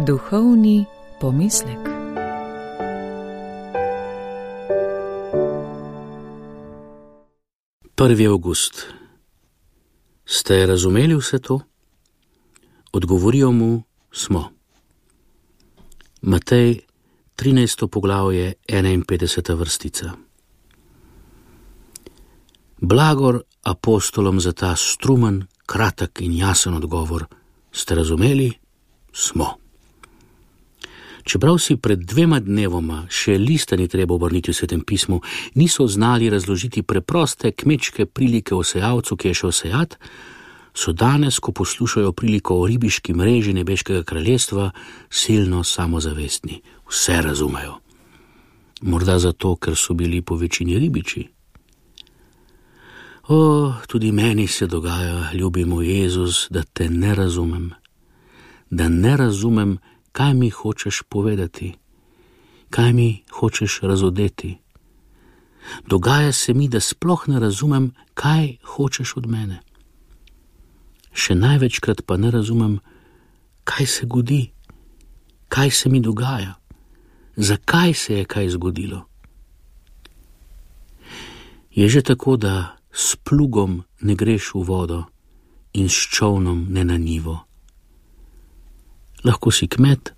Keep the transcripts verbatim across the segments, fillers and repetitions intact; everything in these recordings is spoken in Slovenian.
Duhovni pomislek. Prvi avgust. Ste razumeli vse to? Odgovorijo mu, smo. Matej, trinajsto poglavje, enainpetdeseta vrstica. Blagor apostolom za ta strumen, kratek in jasen odgovor. Ste razumeli? Smo. Čeprav si pred dvema dnevoma še lista ni treba obrniti v Svetem pismu, niso znali razložiti preproste kmečke prilike o sejalcu, ki je šel sejat, so danes, ko poslušajo priliko o ribiški mreži nebeškega kraljestva, silno samozavestni. Vse razumejo. Morda zato, ker so bili po večini ribiči. O, tudi meni se dogaja, ljubi moj Jezus, da te ne razumem. Da ne razumem, kaj mi hočeš povedati, kaj mi hočeš razodeti. Dogaja se mi, da sploh ne razumem, kaj hočeš od mene. Še največkrat pa ne razumem, kaj se godi, kaj se mi dogaja, zakaj se je kaj zgodilo. Je že tako, da s plugom ne greš v vodo in s čolnom ne na njivo. Lahko si kmet,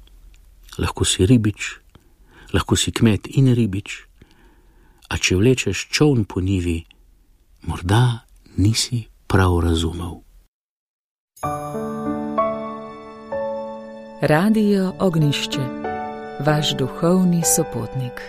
lahko si ribič, lahko si kmet in ribič, a če vlečeš čoln po njivi, morda nisi prav razumel. Radio Ognišče, vaš duhovni sopotnik.